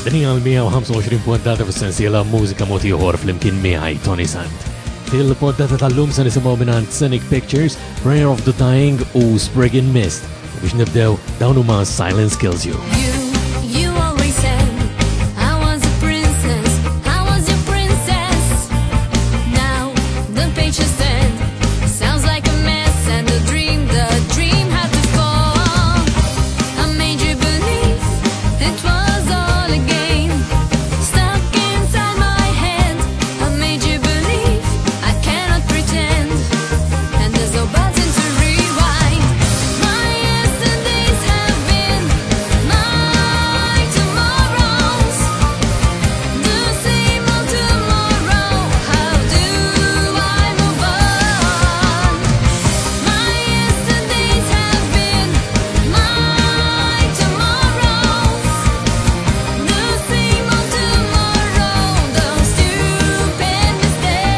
Din hija l-125 poddata fis-sensiela Mużika Mod Ieħor flimkien miegħi Tony Sant. Fil-poddata tal-lum se nisimgħu mingħand Scenic Pictures, Prayer of the Dying u Sprig in Mist. U biex nibdew dawn huma Silence Kills You. You always said I was a princess, I was your princess. Now the page is turned, sounds like a mess, and the dream, the dream had to fall. I made you believe it was all a game, stuck inside my head. I made you believe I cannot pretend, and there's no button to rewind. My yesterdays have been my tomorrows, the same old tomorrow. How do I move on? My yesterdays have been my tomorrows, the same old tomorrow. Those stupid mistakes.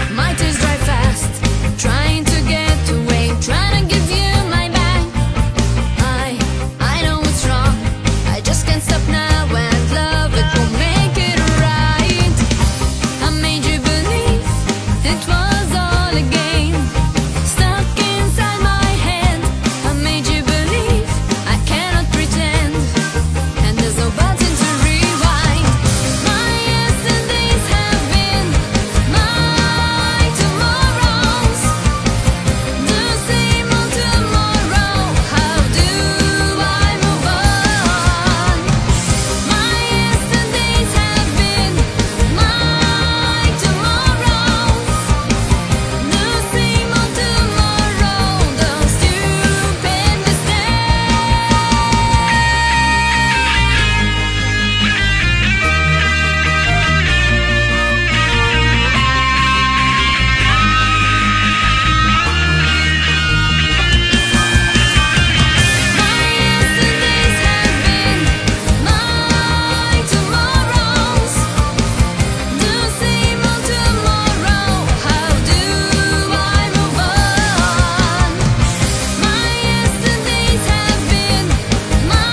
Cry, my tears dry fast, trying to get away, trying to give you my back. I, I know it's wrong, I just can't stop now and love it will make it right. I made you believe it was all a game, stuck inside my head. I made you believe I cannot pretend, and there's no button to rewind. My yesterdays have been my tomorrows, the same old tomorrow. How do I move on? My yesterdays have been my tomorrows, the same old tomorrow. Those stupid mistakes. My yesterdays have been my tomorrows, the same old tomorrow. How do I move on? My yesterdays have been my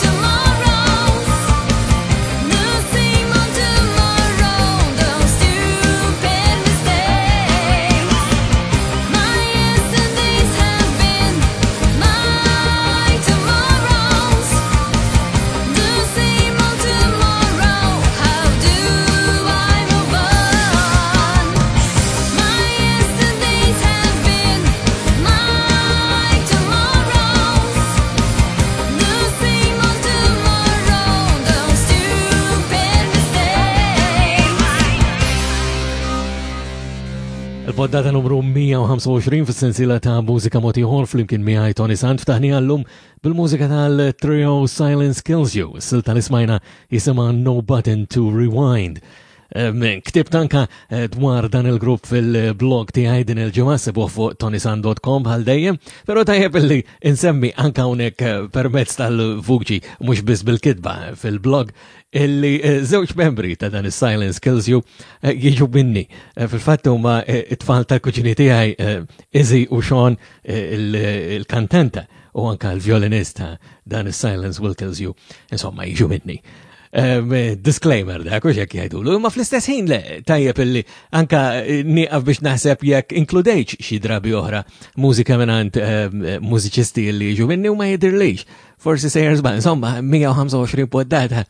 tomorrows, the same old tomorrow. Those stupid mistakes. My yesterdays have been my tomorrows, the same old tomorrow. How do I move on? My yesterdays have been my tomorrows, the same old tomorrow. Those stupid mistakes. Il-poddata numru 125 fis-sensiela ta' Mużika Mod Ieħor flimkien miegħi Tony Sant ftaħni għallum bil-mużika tal-trio Silence Kills You. Is-silta li smajna jisimha No Button to Rewind. Ktibt anka dwar dan il-grupp fil-blog tiegħi din il-ġimgħa sibuh fuq tonisan.com bħal dejjem, però tajjeb illi insemmi anka hawnhekk permezz tal-vuċi mhux biss bil-kitba fil-blog illi żewġ membri ta' dan is-Silence Kills You jiġu minni. Fil-fatt huma it-tfal tal-kuġini tiegħi Izzy u Sean il-kantanta u anka l-violinista dan is-Silence Will Kills You, insomma jiġu minni. Disclaimer dak u xek jgħidulu, imma fl-istess ħin le tajjeb illi anka nieqaf biex naħseb jekk inkludejx xi drabi oħra mużika mingħand mużiċisti li jiġu minni u ma jidhirlix. Forsi sejjer żball, insomma 125 poddata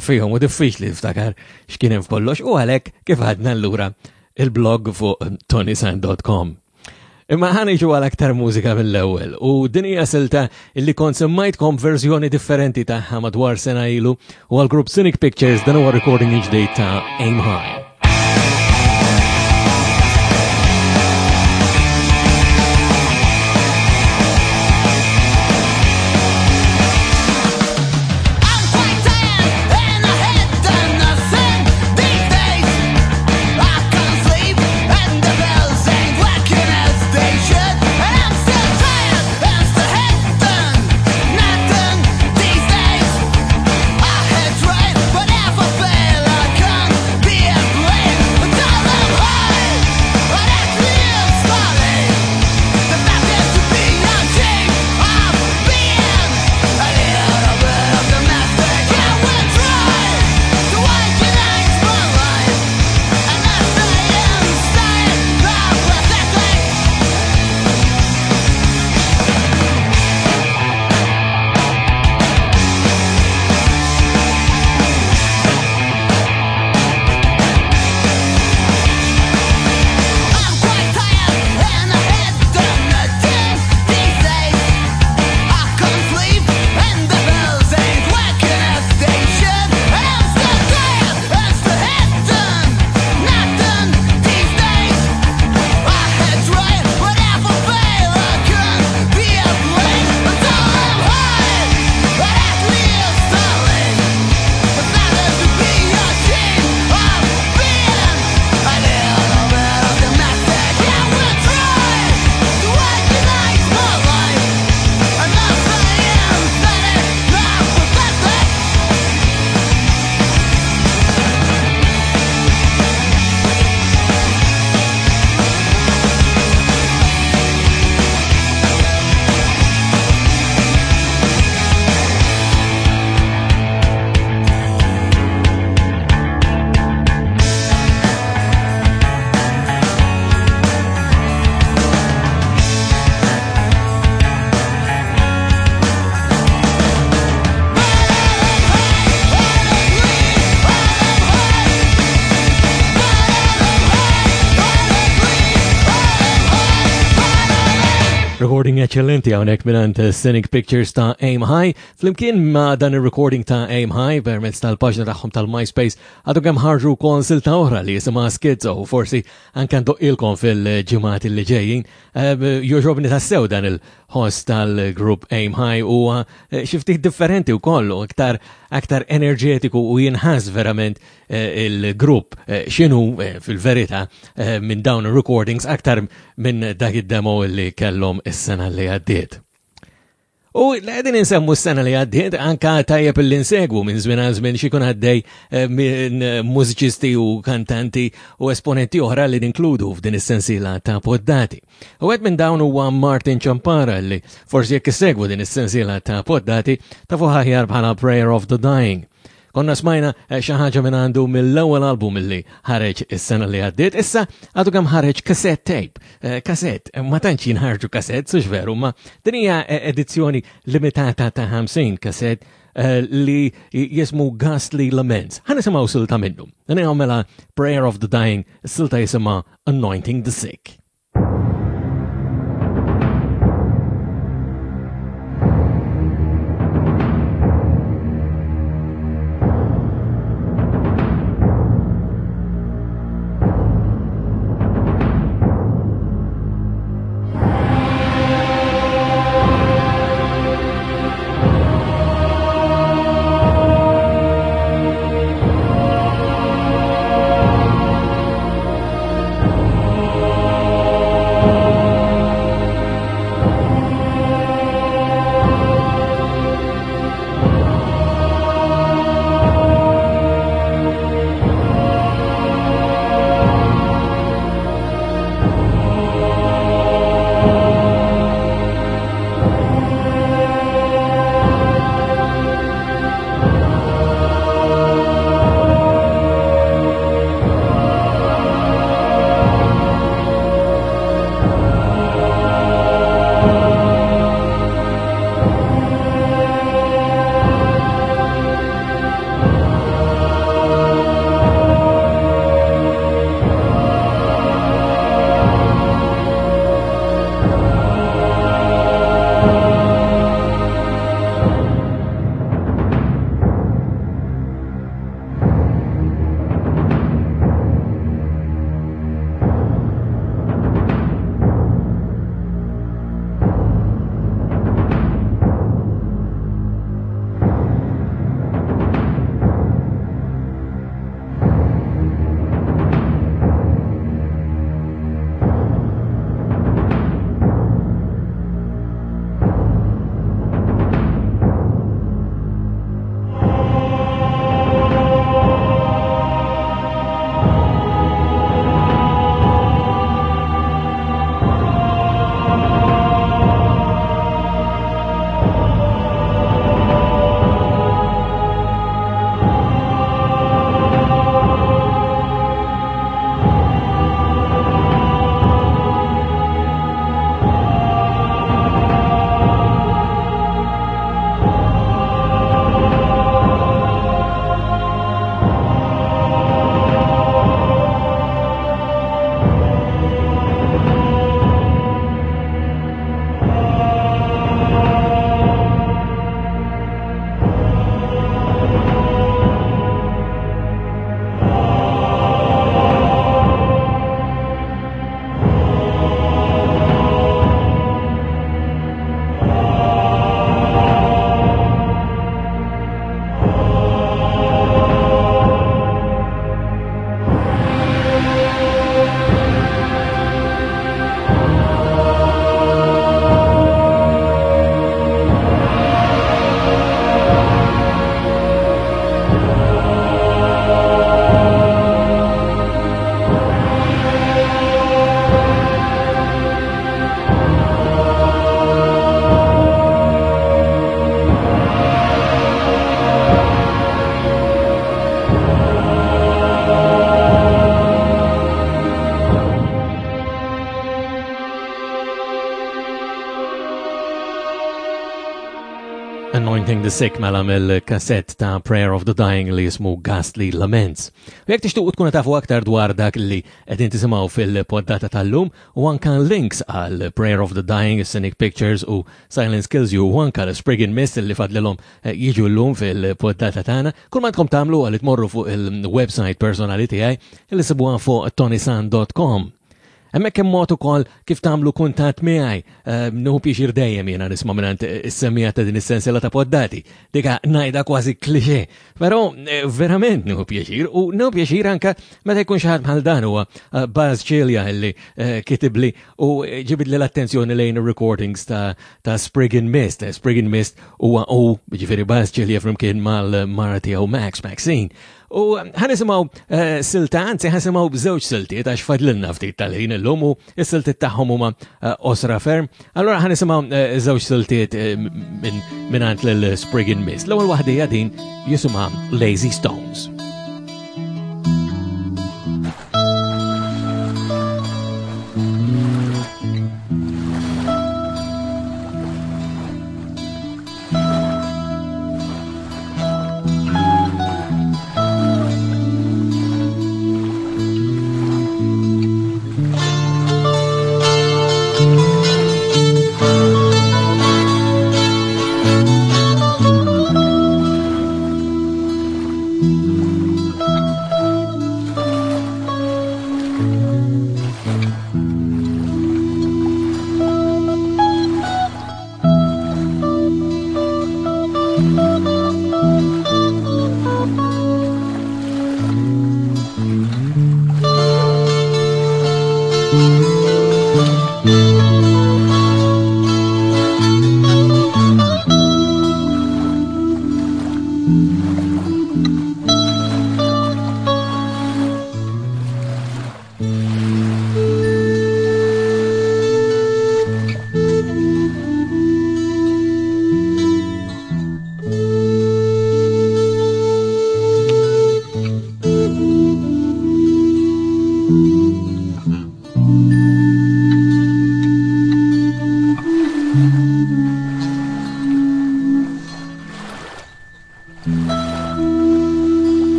fihom u diffiċli tiftakar x'kien hemm f'kollox u għalhekk kif għadna allura il-blog fuq tonisan.com. Imma ħa niġu għal aktar mużika mill-ewwel u din hija silta illi kont semmajtkom verżjoni differenti tagħha madwar sena ilu u għal grupp Scenic Pictures dan huwa recording ġdid ta' Aim High. I'm quite tired and I had done nothing. Recording eccellenti hawnhekk mingħand Scenic Pictures ta' Aim High. Flimkien ma' dan ir-recording ta' Aim High permezz tal-paġna tagħhom tal-MySpace għadu kemm ħarġu wkoll silta oħra li jisimha Schizo u forsi anke ndoqqilkom fil-ġimgħat li ġejjin. Eh, Joġobni tassew dan il-ħoss tal-grupp Aim High huwa eh, xi ftit differenti wkoll u aktar aktar enerġetiku u jinħass verament Eh, il-grupp eh, xinu eh, fil-verità minn dawn il-recordings aktar minn dak id-demo li kellhom is-sena li għaddiet. U l-għedin insemmu s-sena li għaddiet, anka tajjeb li nsegwu minn żmien għal żmien xikun għaddej minn mużiċisti u kantanti u esponenti oħra li ninkludu f'din is-sensiela ta' poddati. U għed minn dawn huwa Martin Ciampara li forsi jekk issegwu din is-sensiela ta' poddati ta' fuq bħala Prayer of the Dying. Konna smajna eh, xi ħaġa minn għandu mill-ewwel album li ħareġ is-sena li għaddiet, issa għadu kemm ħareġ cassette tape. Eh, cassette, eh, ma tantx jinħarġu cassette, sux veru, ma din hija edizzjoni limitata ta' 50 cassette li jismu Ghastly Laments. Ħa nisimgħu silta minnu. Din mela Prayer of the Dying, silta jisimha Anointing the Sick. the Sick mela mill-kassett ta' Prayer of the Dying li jismu Ghastly Laments. U jekk tixtuqu tkunu tafu aktar dwar dak li qegħdin tisimgħu fil-poddata tal-lum u anka links għal Prayer of the Dying, Scenic Pictures u Silence Kills You u anka l-Sprig and Mist li fadlilhom eh, jiġu llum fil-poddata tagħna, kull ma għandkom tagħmlu għal tmorru fuq il-website personali tiegħi li sibuha fuq tonisan.com. Hemmhekk hemm mod ukoll kif tagħmlu kuntatt miegħi. Ehm, nieħu pjaċir dejjem jiena nisma' mingħand is-semmija ta' din is-sensiela ta' poddati. Dika ngħidha kważi klixè. Però eh, verament nieħu pjaċir u nieħu pjaċir anke meta jkun xi ħadd bħal dan huwa eh, Baz Ċilja li eh, kitibli u ġibidli l-attenzjoni lejn recordings ta', ta Sprig and Mist. Sprig and Mist huwa u ġifieri Baz Ċilja flimkien mal-mara tiegħu Max Maxine. U ħanisimgħu eh, silta, anzi ħanisimgħu b'żewġ siltiet għax fadlilna ftit tal-ħin illum u s-siltiet tagħhom huma eh, osra ferm. Allura ħanisimgħu eh, żewġ siltiet minn għand lil Sprig and Mist. L-ewwel waħda hija din jisimha Lazy Stones.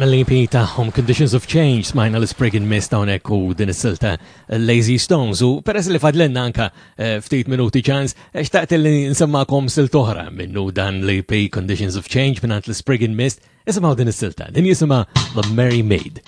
Mill-EP tagħhom Conditions of Change smajna l-Sprig and Mist hawnhekk u din is-silta Lazy Stones u peress li fadlenna anka eh, ftit minuti ċans eh, xtaqt li nsemmakom silt oħra minnu dan l-EP Conditions of Change mingħand l-Sprig and Mist isimgħu din is-silta din jisimha The Merry Maid.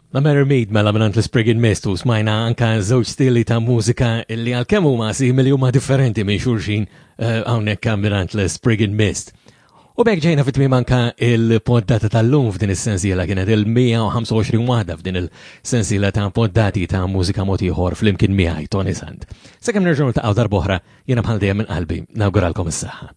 La Mary Mead mela mingħand l-Spriggin Mist u smajna anka żewġ stili ta' mużika li għalkemm huma simili huma differenti minn xulxin eh, hawnhekk mingħand l-Spriggin Mist. U b'hekk ġejna fit-tmiem anka il-poddata tal-lum f'din is-sensiela kienet il-125 waħda f'din il-sensiela ta' poddati ta' mużika mod ieħor flimkien miegħi Tony Sant. Sakemm nerġgħu niltaqgħu darb'oħra jiena bħal dejjem minn qalbi nawguralkom is-saħħa.